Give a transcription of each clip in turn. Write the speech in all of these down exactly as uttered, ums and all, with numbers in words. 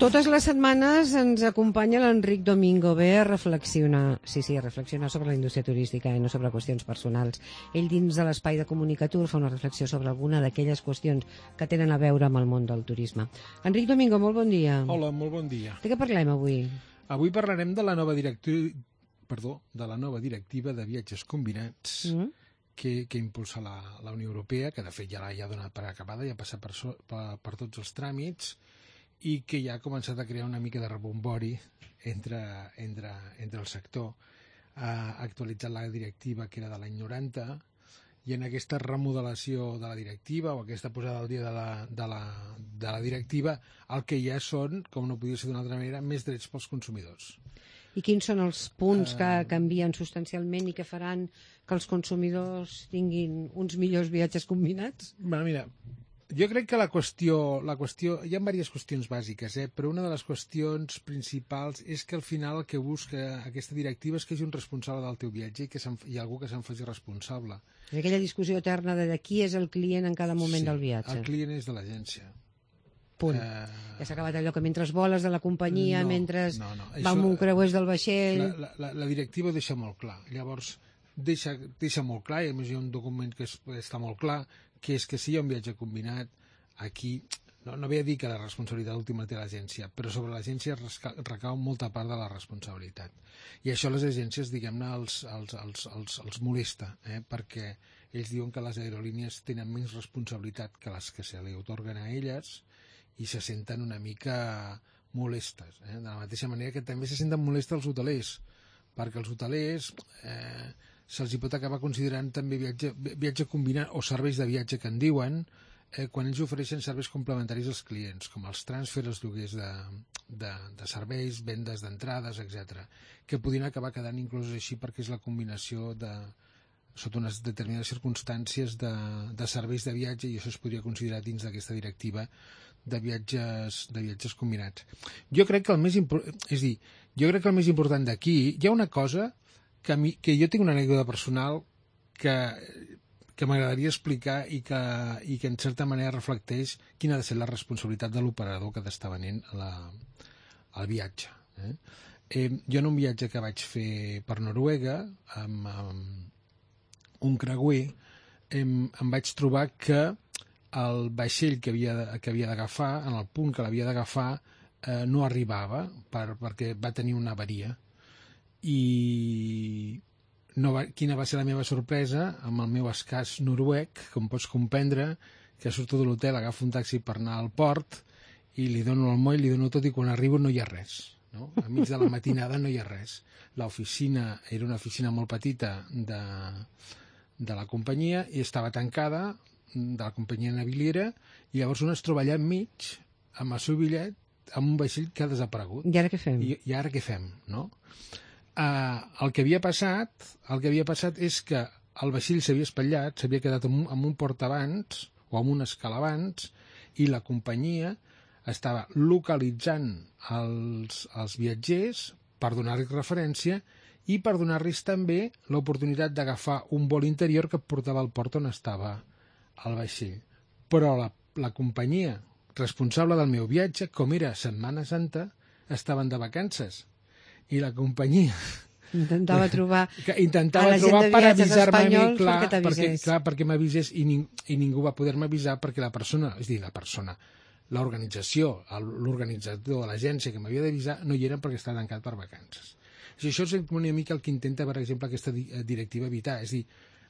Totes les setmanes ens acompanya l'Enric Domingo Ve a reflexionar, sí, sí, a reflexionar sobre la indústria turística i no sobre qüestions personals. Ell, dins de l'espai de Comunicatur, fa una reflexió sobre alguna d'aquelles qüestions que tenen a veure amb el món del turisme. Enric Domingo, molt bon dia. Hola, molt bon dia. De què parlem avui? Avui parlarem de la nova directiva, perdó, de la nova directiva de viatges combinats mm. que, que impulsa la, la Unió Europea, que de fet ja l'ha ja donat per acabada, ja ha passat per, so, per, per tots els tràmits, i que ja ha començat a crear una mica de rebombori entre, entre, entre el sector. Ha actualitzat la directiva que era de l'any noranta, i en aquesta remodelació de la directiva o aquesta posada al dia de la, de la, de la directiva, el que ja són, com no podia ser d'una altra manera, més drets pels consumidors. I quins són els punts que canvien substancialment i que faran que els consumidors tinguin uns millors viatges combinats? Bueno, mira, jo crec que la qüestió, la qüestió, hi ha diverses qüestions bàsiques, eh? Però una de les qüestions principals és que al final el que busca aquesta directiva és que hi hagi un responsable del teu viatge i que hi ha algú que se'n faci responsable. És aquella discussió eterna de, de qui és el client en cada moment sí, del viatge. El client és de l'agència. Punt. Uh... Ja s'ha acabat allò que mentre voles de la companyia, no, mentre no, no. va amb un creuers del vaixell... La, la, la directiva deixa molt clar. Llavors, deixa, deixa molt clar, i a més hi ha un document que es, està molt clar, que és que si hi ha un viatge combinat, aquí, no, no ve a dir que la responsabilitat última té l'agència, però sobre l'agència recau molta part de la responsabilitat. I això a les agències, diguem-ne, els, els, els, els, els molesta, eh? Perquè ells diuen que les aerolínies tenen menys responsabilitat que les que se li atorguen a elles i se senten una mica molestes. Eh? De la mateixa manera que també se senten molestes els hotelers, perquè els hotelers eh, se'ls hi pot acabar considerant també viatge, viatge combinat o serveis de viatge que en diuen, eh, quan ells ofereixen serveis complementaris als clients, com els transfers, els lloguers de, de, de serveis, vendes d'entrades, etcètera, que podrien acabar quedant incloses així perquè és la combinació de, sota unes determinades circumstàncies de, de serveis de viatge, i això es podria considerar dins d'aquesta directiva de viatges, de viatges combinats. Jo crec que el més important, és dir, jo crec que el més important d'aquí, hi ha una cosa que, a mi, que jo tinc una anècdota personal que, que m'agradaria explicar i que, i que en certa manera reflecteix quina ha de ser la responsabilitat de l'operador que t'està venent la, el viatge. Eh? Eh, jo en un viatge que vaig fer per Noruega, amb, amb un creuer, em, em vaig trobar que el vaixell que havia, que havia d'agafar, en el punt que l'havia d'agafar, eh, no arribava per, perquè va tenir una avaria. I no va, quina va ser la meva sorpresa amb el meu escàs noruec, com pots comprendre, que surto de l'hotel, agafo un taxi per anar al port i li dono el moll, li dono tot, i quan arribo no hi ha res. No? A mig de la matinada no hi ha res. L'oficina era una oficina molt petita de, de la companyia i estava tancada, de la companyia naviliera, i llavors un es troba allà enmig amb el seu bitllet amb un vaixell que ha desaparegut. I ara què fem? I, i ara què fem, no? Uh, el que havia passat el que havia passat és que el vaixell s'havia espatllat, s'havia quedat en un, en un port abans o en un escala abans, i la companyia estava localitzant els, els viatgers per donar-los referència i per donar-los també l'oportunitat d'agafar un vol interior que portava al port on estava el vaixell. Però la, la companyia responsable del meu viatge, com era Setmana Santa, estaven de vacances, i la companyia intentava trobar que intentava trobar per avisar-me a mi, clar, perquè, perquè, clar, perquè m'avisés, i, ning, i ningú va poder-me avisar perquè la persona, és a dir, la persona, l'organització, l'organitzador de l'agència que m'havia d'avisar no hi era perquè estava tancat per vacances. I això és una mica el que intenta, per exemple, aquesta directiva evitar. És a dir,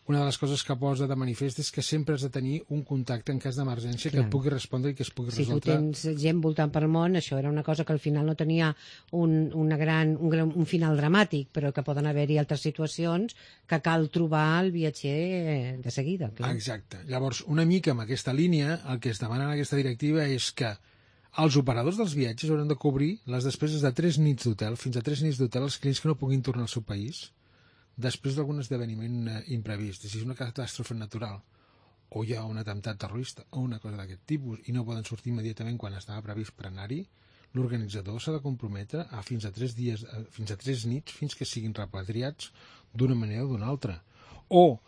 una de les coses que posa de manifest és que sempre has de tenir un contacte en cas d'emergència que et pugui respondre i que es pugui si resoldre. Si tu tens gent voltant pel món, això era una cosa que al final no tenia un, una gran, un, gran, un final dramàtic, però que poden haver-hi altres situacions que cal trobar el viatger de seguida. Clar. Exacte. Llavors, una mica amb aquesta línia, el que es demana en aquesta directiva és que els operadors dels viatges hauran de cobrir les despeses de tres nits d'hotel, fins a tres nits d'hotel, als clients que no puguin tornar al seu país després d'algun esdeveniment imprevist, si és una catàstrofe natural o hi ha un atemptat terrorista o una cosa d'aquest tipus i no poden sortir immediatament quan estava previst per anar-hi, l'organitzador s'ha de comprometre a fins a tres dies, fins a tres nits, fins que siguin repatriats d'una manera o d'una altra. O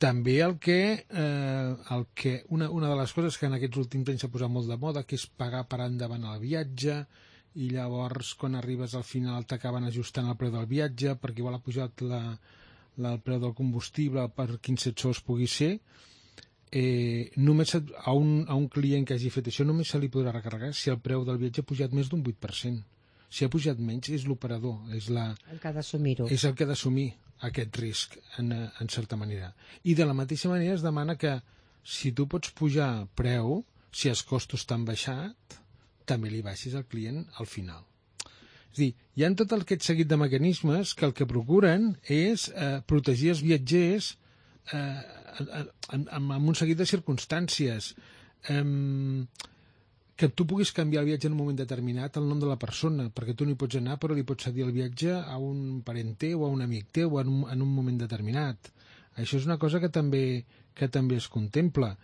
també el que, eh, el que una, una de les coses que en aquests últims anys s'ha posat molt de moda, que és pagar per endavant el viatge, i llavors quan arribes al final t'acaben ajustant el preu del viatge perquè igual ha pujat la, la, el preu del combustible per quinze sous pugui ser, eh, només a un, a un client que hagi fet això només se li podrà recarregar si el preu del viatge ha pujat més d'un vuit per cent. Si ha pujat menys és l'operador, és, la, el que ha d'assumir-ho. És el que ha d'assumir aquest risc en, en certa manera. I de la mateixa manera es demana que si tu pots pujar preu, si els costos t'han baixat, també li baixis al client al final. És a dir, hi ha tot aquest seguit de mecanismes que el que procuren és eh, protegir els viatgers eh, en, en, en un seguit de circumstàncies. Eh, que tu puguis canviar el viatge en un moment determinat el nom de la persona, perquè tu no hi pots anar però li pots cedir el viatge a un parent teu o a un amic teu en un, en un moment determinat. Això és una cosa que també, que també es contempla.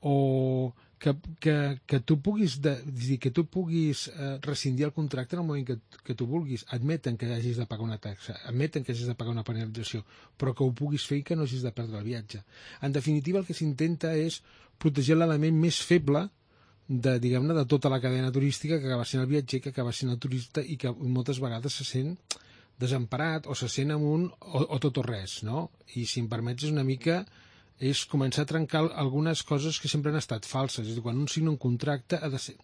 O que, que, que tu puguis, de, dir, que tu puguis eh, rescindir el contracte en el moment que, que tu vulguis. Admeten que hagis de pagar una taxa, admeten que hagis de pagar una penalització, però que ho puguis fer i que no hagis de perdre el viatge. En definitiva, el que s'intenta és protegir l'element més feble de, diguem-ne, de tota la cadena turística que acaba sent el viatger, que acaba sent el turista i que moltes vegades se sent desemparat o se sent amb un o, o tot o res, no? I si em permets és una mica és començar a trencar algunes coses que sempre han estat falses. És a dir, quan un signa un contracte ha de ser...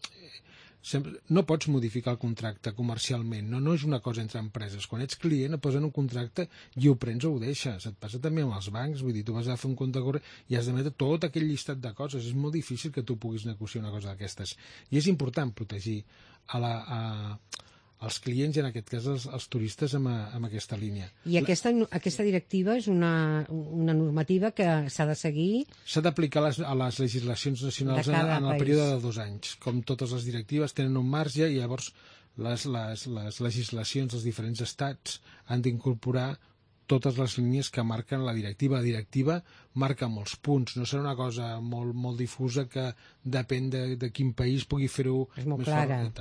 Sempre, no pots modificar el contracte comercialment, no, no és una cosa entre empreses. Quan ets client et posen un contracte i ho prens o ho deixes. Et passa també amb els bancs, vull dir, tu vas a fer un compte corrent i has d'emetre tot aquell llistat de coses. És molt difícil que tu puguis negociar una cosa d'aquestes. I és important protegir a la, a, als clients i en aquest cas als, als turistes amb, a, amb aquesta línia. I aquesta, aquesta directiva és una, una normativa que s'ha de seguir? S'ha d'aplicar a, a les legislacions nacionals en, en el període de dos anys. Com totes les directives tenen un marge i llavors les, les, les legislacions dels diferents estats han d'incorporar totes les línies que marquen la directiva. La directiva marca molts punts, no serà una cosa molt, molt difusa que depèn de, de quin país pugui fer-ho més fort.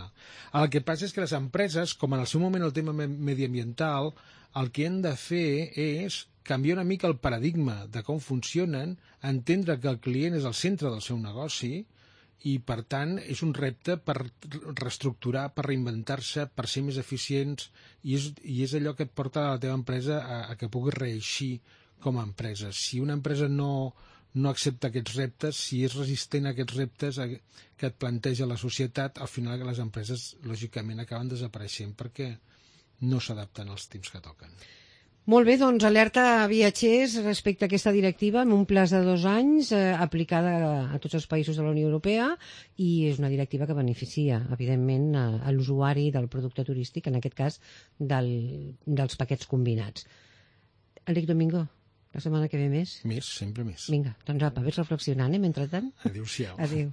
El que passa és que les empreses, com en el seu moment el tema mediambiental, el que han de fer és canviar una mica el paradigma de com funcionen, entendre que el client és el centre del seu negoci i, per tant, és un repte per reestructurar, per reinventar-se, per ser més eficients, i és, i és allò que et porta a la teva empresa a, a que puguis reeixir com a empresa. Si una empresa no, no accepta aquests reptes, si és resistent a aquests reptes a, que et planteja la societat, al final les empreses, lògicament, acaben desapareixent perquè no s'adapten als temps que toquen. Molt bé, doncs alerta a viatgers respecte a aquesta directiva en un plaç de dos anys eh, aplicada a tots els països de la Unió Europea, i és una directiva que beneficia, evidentment, a, a l'usuari del producte turístic, en aquest cas del, dels paquets combinats. Enric Domingo, la setmana que ve més? Més, sempre més. Vinga, doncs apa, vés reflexionant, eh, mentrestant. Adéu-siau. Adéu.